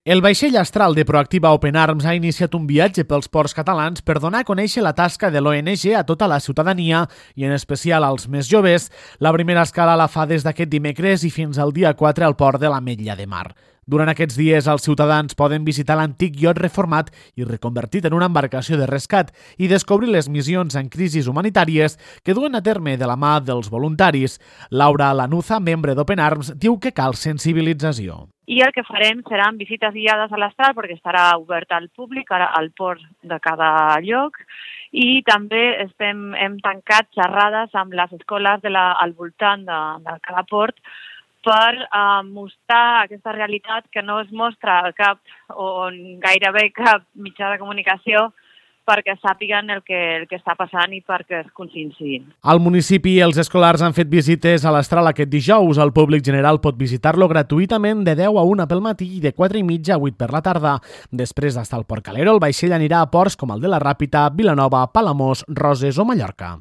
El vaixell Astral de Proactiva Open Arms ha iniciat un viatge pels ports catalans per donar a conèixer la tasca de l'ONG a tota la ciutadania i en especial als més joves. La primera escala la fa des d'aquest dimecres i fins al dia 4 al port de l'Ametlla de Mar. Durant aquests dies, els ciutadans poden visitar l'antic iot reformat i reconvertit en una embarcació de rescat i descobrir les missions en crisis humanitàries que duen a terme de la mà dels voluntaris. Laura Lanuza, membre d'Open Arms, diu que cal sensibilització. I el que farem seran visites guiades a l'Astral perquè estarà obert al públic, ara al port de cada lloc, i també hem tancat xerrades amb les escoles al voltant de cada port per mostrar aquesta realitat que no es mostra a cap o gairebé cap mitjà de comunicació perquè sàpiguen el que està passant i perquè es conscienciïn. Al municipi, els escolars han fet visites a l'Astral aquest dijous. El públic general pot visitar-lo gratuïtament de 10 a 1 pel matí i de 4 i mitja a 8 per la tarda. Després d'estar al Port Calero, el vaixell anirà a ports com el de la Ràpita, Vilanova, Palamós, Roses o Mallorca.